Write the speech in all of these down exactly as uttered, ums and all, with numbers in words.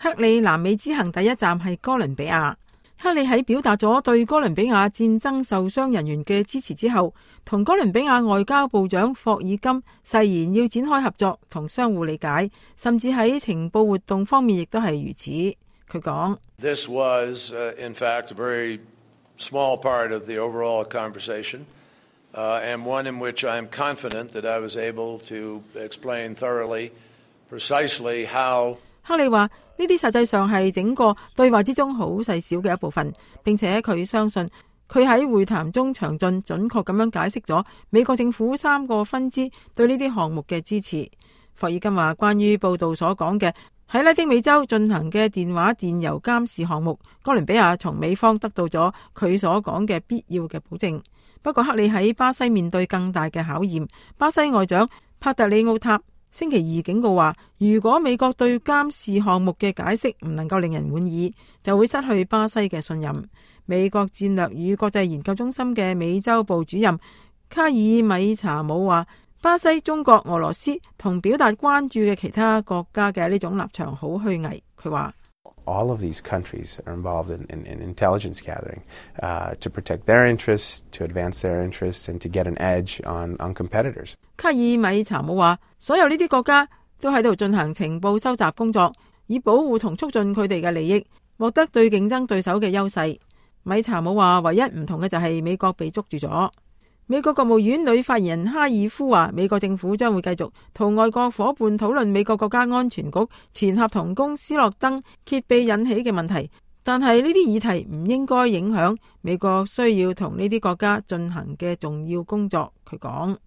克里南美之行第一站係哥倫比亞。克里喺表達咗對哥倫比亞戰爭受傷人員嘅支持之後，同哥倫比亞外交部長霍爾金誓言要展開合作同相互理解，甚至喺情報活動方面亦都係如此。佢講：This was, uh, in fact, a very small part of the overall conversation, uh, and one in which I am confident that I was able to explain thoroughly, precisely how。克里話呢啲實際上係整個對話之中好細小嘅一部分，並且佢相信佢喺會談中詳盡準確咁樣解釋咗美國政府三個分支對呢啲項目嘅支持。霍爾金話，關於報道所講嘅喺拉丁美洲進行嘅電話電郵監視項目，哥倫比亞從美方得到咗佢所講嘅必要嘅保證。不過克里喺巴西面對更大嘅考驗，巴西外長帕特里奧塔星期二警告話，如果美國對監視項目嘅解釋唔能夠令人滿意，就會失去巴西嘅信任。美國戰略與國際研究中心嘅美洲部主任卡爾米查姆話，巴西、中國、俄羅斯同表達關注嘅其他國家嘅呢種立場好虛偽。佢話All of these countries are involved in, in, in intelligence gathering, uh, to protect their interests, to advance their interests, and to get an edge on, on competitors. 卡爾米查姆話，所有呢啲國家都喺度進行情報收集工作，以保護同促進佢哋嘅利益，獲得對競爭對手嘅優勢。米查姆話，唯一唔同嘅就係美國被捉住咗。美國國務院女發言人哈爾夫話，美國政府將會繼續同外國伙伴討論美國國家安全局前合同工斯諾登揭秘引起嘅問題，但係呢啲議題唔應該影響美國需要同呢啲國家進行嘅重要工作。佢講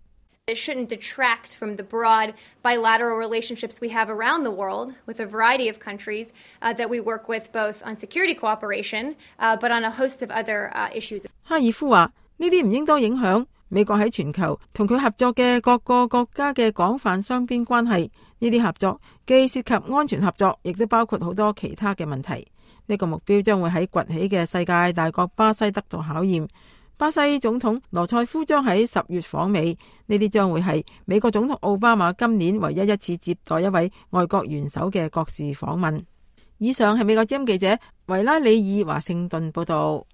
It shouldn't detract from the broad bilateral relationships we have around the world with a variety of countries uh, that we work with both on security cooperation, uh, but on a host of other uh, issues. 哈爾夫話，呢啲唔應該影響美國喺全球同佢合作嘅各個國家嘅廣泛雙邊關係。呢啲合作既涉及安全合作，亦都包括好多其他嘅問題。呢個目標將會喺崛起嘅世界大國巴西得到考驗。巴西總統羅塞夫將喺十月訪美，呢啲將會係美國總統奧巴馬今年唯一一次接待一位外國元首嘅國事訪問。以上係美國之音記者維拉里爾華盛頓報道。